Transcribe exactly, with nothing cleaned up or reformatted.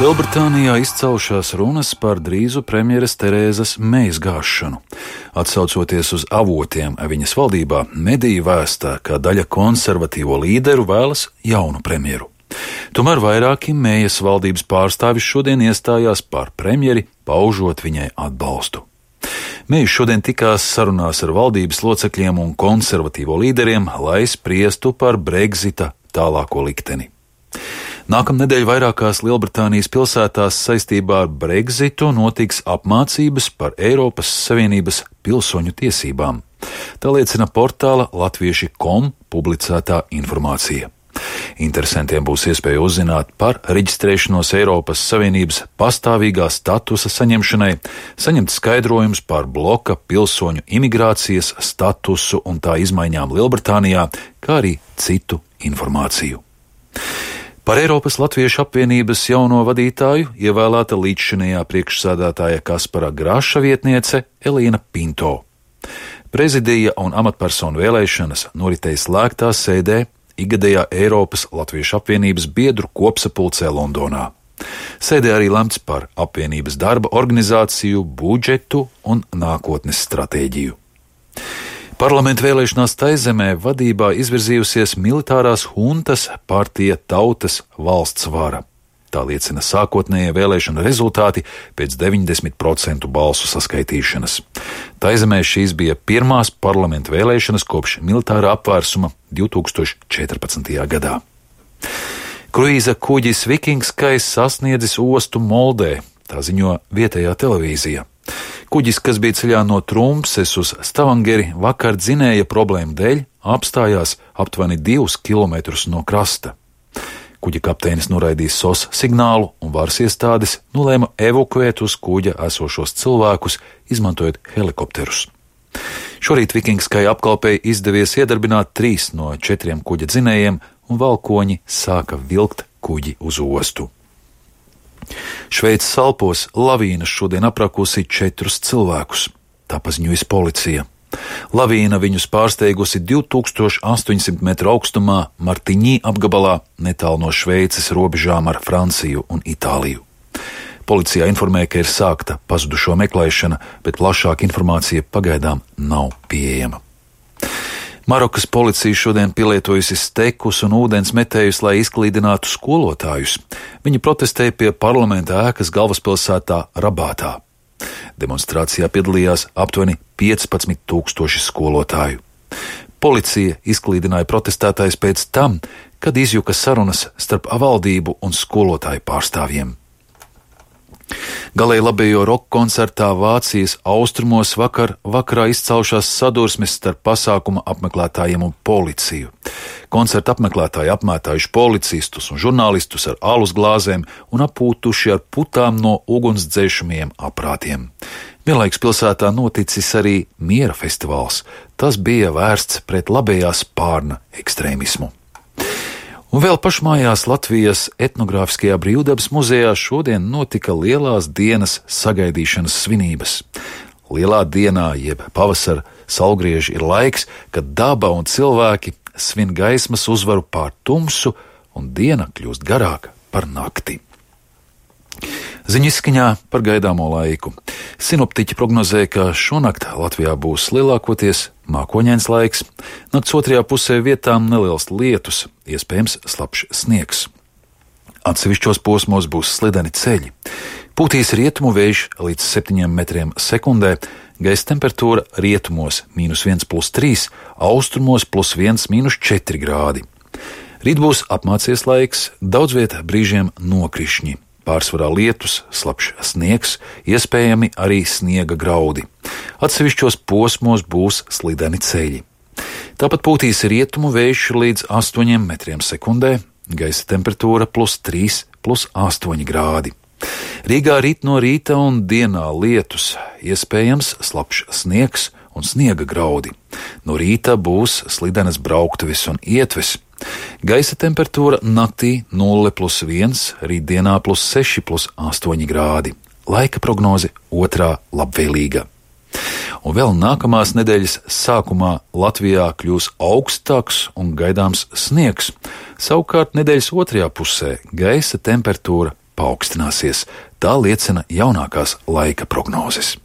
Lielbritānijā izcaušās runas par drīzu premjeras Terēzas Meijas gāšanu. Atsaucoties uz avotiem viņas valdībā, mediji vēstā, ka daļa konservatīvo līderu vēlas jaunu premjeru. Tomēr vairāki Meijas valdības pārstāvis šodien iestājās par premjeri, paužot viņai atbalstu. Meija šodien tikās sarunās ar valdības locekļiem un konservatīvo līderiem, lai spriestu par Brexita tālāko likteni. Nākamnedēļ vairākās Lielbritānijas pilsētās saistībā ar Brexitu notiks apmācības par Eiropas Savienības pilsoņu tiesībām. Tā liecina portāla latvieši punkt com publicētā informācija. Interesantiem būs iespēja uzzināt par reģistrēšanos Eiropas Savienības pastāvīgā statusa saņemšanai, saņemt skaidrojumus par bloka pilsoņu imigrācijas statusu un tā izmaiņām Lielbritānijā, kā arī citu informāciju. Par Eiropas Latviešu apvienības jauno vadītāju ievēlēta līdzšinējā priekšsēdētāja Kaspara Graša vietniece Elīna Pinto. Prezidija un amatpersonu vēlēšanas noritēja slēgtā sēdē ikgadējā Eiropas Latviešu apvienības biedru kopsapulcē Londonā. Sēdē arī lemts par apvienības darba organizāciju, budžetu un nākotnes stratēģiju. Parlamenta vēlēšanās Taizemē vadībā izvirzījusies militārās huntas partija Tautas valsts vara. Tā liecina sākotnējie vēlēšana rezultāti pēc deviņdesmit procentu balsu saskaitīšanas. Taizemē šīs bija pirmās parlamenta vēlēšanas kopš militārā apvērsuma divtūkstoš četrpadsmitajā gadā. Kruīza kuģis Vikings Skais sasniedzis ostu Moldē, tā ziņo vietējā televīzija. Kuģis, kas bija ceļā no Trumpses uz Stavangeri, vakar dzinēja problēmu dēļ apstājās aptuveni divus kilometrus no krasta. Kuģa kapteinis noraidīja S O S signālu un varas iestādes nolēma evakuēt uz kuģa esošos cilvēkus, izmantojot helikopterus. Šorīt Vikingskai apkalpei izdevies iedarbināt trīs no četriem kuģa dzinējiem, un valkoņi sāka vilkt kuģi uz ostu. Šveices Alpos lavīna šodien aprakusi četrus cilvēkus, tā paziņojas policija. Lavīna viņus pārsteigusi divtūkstoš astoņsimt metru augstumā Martiņī apgabalā, netālu no Šveices robežām ar Franciju un Itāliju. Policijā informē, ka ir sākta pazudušo meklēšana, bet plašāka informācija pagaidām nav pieejama. Marokas policija šodien pielietojusi stekus un ūdens metējus, lai izklīdinātu skolotājus. Viņi protestēja pie parlamenta ēkas galvaspilsētā Rabātā. Demonstrācijā piedalījās aptuveni piecpadsmit tūkstoši skolotāju. Policija izklīdināja protestētājus pēc tam, kad izjuka sarunas starp valdību un skolotāju pārstāvjiem. Galēji labējo roka koncertā Vācijas austrumos vakar vakarā izcaušās sadursmes starp pasākuma apmeklētājiem un policiju. Koncerta apmeklētāji apmētājuši policistus un žurnālistus ar alus glāzēm un apūtuši ar putām no ugunsdzēšamajiem aprātiem. Vienlaikus pilsētā noticis arī miera festivāls. Tas bija vērsts pret labējā spārna ekstrēmismu. Un vēl pašmājās Latvijas etnogrāfiskajā brīvdabas muzejā šodien notika lielās dienas sagaidīšanas svinības. Lielā dienā, jeb pavasara saulgrieži, ir laiks, kad daba un cilvēki svin gaismas uzvaru pār tumsu, un diena kļūst garāka par nakti. Ziņu izskaņā par gaidāmo laiku. Sinoptiķi prognozē, ka šonakt Latvijā būs lielākoties mākoņains laiks, nakts otrajā pusē vietām neliels lietus, iespējams slapjš sniegs. Atsevišķos posmos būs slideni ceļi. Pūtīs rietumu vējš līdz septiņiem metriem sekundē, gaisa temperatūra rietumos mīnus viens plus trīs, austrumos plus viens mīnus četri grādi. Rīt būs apmācies laiks, daudz vietā brīžiem nokrišņi. Pārsvarā lietus, slapjš sniegs, iespējami arī sniega graudi. Atsevišķos posmos būs slideni ceļi. Tāpat pūtīs rietumu vējš līdz astoņiem metriem sekundē, gaisa temperatūra plus trīs, plus astoņi grādi. Rīgā rīt no rīta un dienā lietus, iespējams slapjš sniegs un sniega graudi. No rīta būs slidenas brauktuves un ietves. Gaisa temperatūra naktī nulle plus viens, rītdienā plus seši plus astoņi grādi. Laika prognoze otrā labvēlīga. Un vēl nākamās nedēļas sākumā Latvijā kļūs augstāks un gaidāms sniegs. Savukārt nedēļas otrajā pusē gaisa temperatūra paaugstināsies. Tā liecina jaunākās laika prognozes.